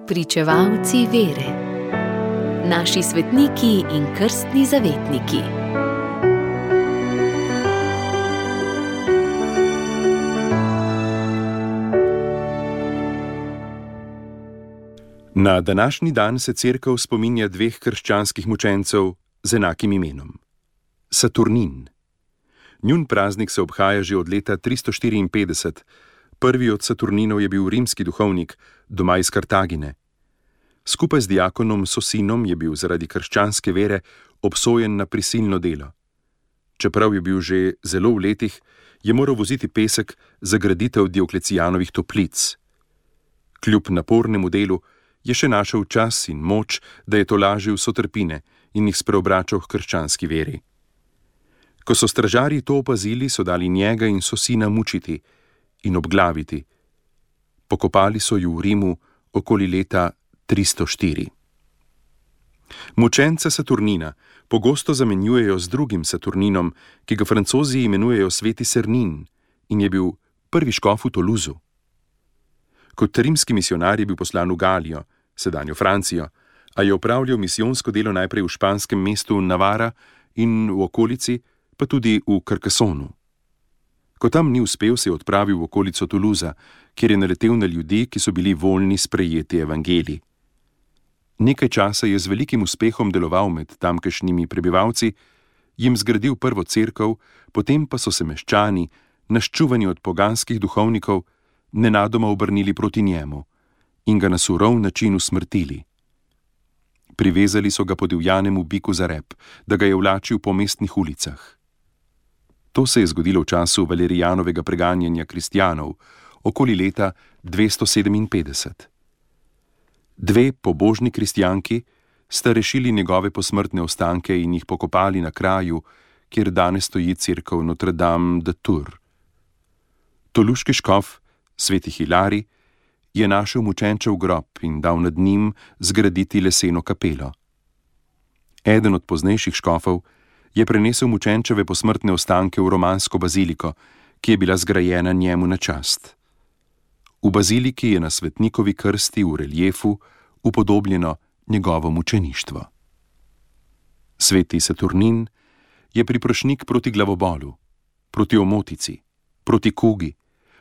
Pričevalci vere. Naši svetniki in krstni zavetniki. Na današnji dan se Cerkev spominja dveh krščanskih mučencev z enakim imenom. Saturnin. Njun praznik se obhaja že od leta 354. Prvi od Saturninov je bil rimski duhovnik, doma iz Kartagine. Skupaj z diakonom Sosinom je bil zaradi krščanske vere obsojen na prisilno delo. Čeprav je bil že zelo v letih, je moral voziti pesek za graditev Dioklecijanovih toplic. Kljub napornemu delu je še našel čas in moč, da je tolažil sotrpine in jih spreobračal k krščanski veri. Ko so stražarji to opazili, so dali njega in Sosina mučiti in obglaviti. Pokopali so ju v Rimu okoli leta 304. Mučenca Saturnina pogosto zamenjujejo z drugim Saturninom, ki ga Francozi imenujejo sveti Sernin in je bil prvi škof v Toulouseu. Kot rimski misijonar je bil poslan v Galijo, sedanjo Francijo, a je opravljal misijonsko delo najprej v španskem mestu Navara in v okolici, pa tudi v Carcassonu. Ko tam ni uspel, se je odpravil v okolico Toulousea, kjer je naletel na ljudi, ki so bili voljni sprejeti evangelij. Nekaj časa je z velikim uspehom deloval med tamkajšnjimi prebivalci, jim zgradil prvo cerkev, potem pa so se meščani, naščuvani od poganskih duhovnikov, nenadoma obrnili proti njemu in ga na surov način usmrtili. Privezali so ga podivjanemu biku za rep, da ga je vlačil po mestnih ulicah. To se je zgodilo v času Valerijanovega preganjanja kristjanov, okoli leta 257. Dve pobožni kristjanki sta rešili njegove posmrtne ostanke in jih pokopali na kraju, kjer danes stoji cerkev Notre Dame de Tours. Toluški škof, sveti Hilarij, je našel mučenčev grob in dal nad njim zgraditi leseno kapelo. Eden od poznejših škofov je prenesel mučenčeve posmrtne ostanke v romansko baziliko, ki je bila zgrajena njemu na čast. V baziliki je na svetnikovi krsti v reliefu upodobljeno njegovo mučeništvo. Sveti Saturnin je priprošnik proti glavobolu, proti omotici, proti kugi,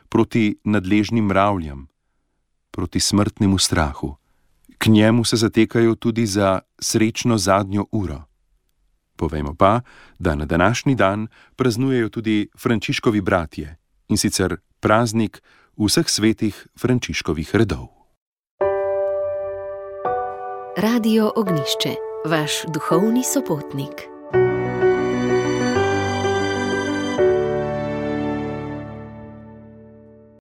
proti nadležnim mravljam, proti smrtnemu strahu. K njemu se zatekajo tudi za srečno zadnjo uro. Povejmo pa, da na današnji dan praznujejo tudi Frančiškovi bratje, in sicer praznik vseh svetih Frančiškovih redov. Radio Ognjišče, vaš duhovni sopotnik.